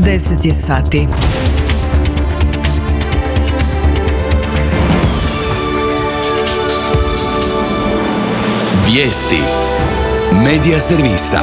10 je sati. Vijesti Medija servisa.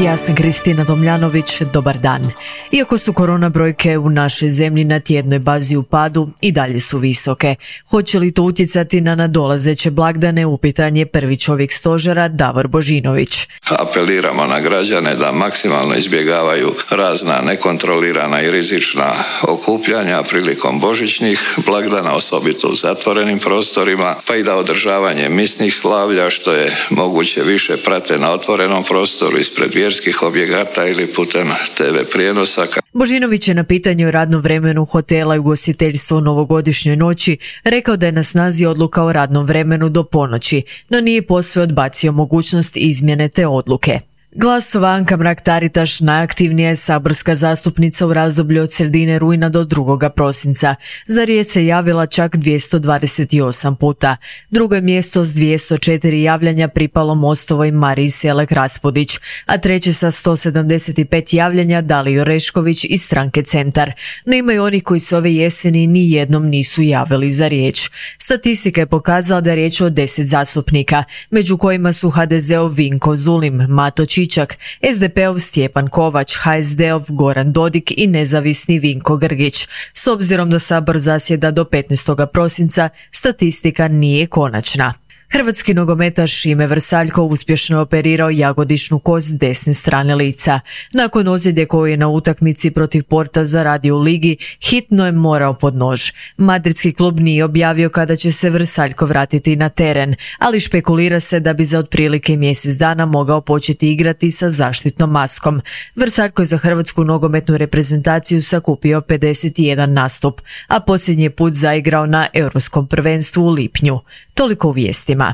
Ja sam Kristina Tomljanović, dobar dan. Iako su korona brojke u našoj zemlji na tjednoj bazi u padu, i dalje su visoke. Hoće li to utjecati na nadolazeće blagdane, upitan je prvi čovjek stožera Davor Božinović. Apeliramo na građane da maksimalno izbjegavaju razna nekontrolirana i rizična okupljanja prilikom božićnih blagdana, osobito u zatvorenim prostorima, pa i da održavanje misnih slavlja što je moguće više prate na otvorenom prostoru ispred vjerskih objekata ili putem TV prijenosa. Božinović je na pitanje o radnom vremenu hotela i ugostiteljstva u novogodišnjoj noći rekao da je na snazi odluka o radnom vremenu do ponoći, no nije posve odbacio mogućnost izmjene te odluke. Glasova Anka Mrak-Taritaš najaktivnija je saborska zastupnica u razdoblju od sredine rujna do 2. prosinca. Za riječ se javila čak 228 puta. Drugo je mjesto s 204 javljanja pripalo Mostovoj Mariji Selak Raspudić, a treće sa 175 javljanja Daliji Orešković iz stranke Centar. No ima i oni koji se ove jeseni ni jednom nisu javili za riječ. Statistika je pokazala da je riječ o 10 zastupnika, među kojima su HDZ-ov Vinko Zulim, Mato Čičak, SDP-ov Stjepan Kovač, HSD-ov Goran Dodik i nezavisni Vinko Grgić. S obzirom da Sabor zasjeda do 15. prosinca, statistika nije konačna. Hrvatski nogometaš Šime Vrsaljko uspješno je operirao jagodičnu kost desne strane lica. Nakon ozljede koju je na utakmici protiv Porta zaradio u ligi, hitno je morao pod nož. Madridski klub nije objavio kada će se Vrsaljko vratiti na teren, ali špekulira se da bi za otprilike mjesec dana mogao početi igrati sa zaštitnom maskom. Vrsaljko je za hrvatsku nogometnu reprezentaciju sakupio 51 nastup, a posljednji put zaigrao na Europskom prvenstvu u lipnju. Toliko u vijestima.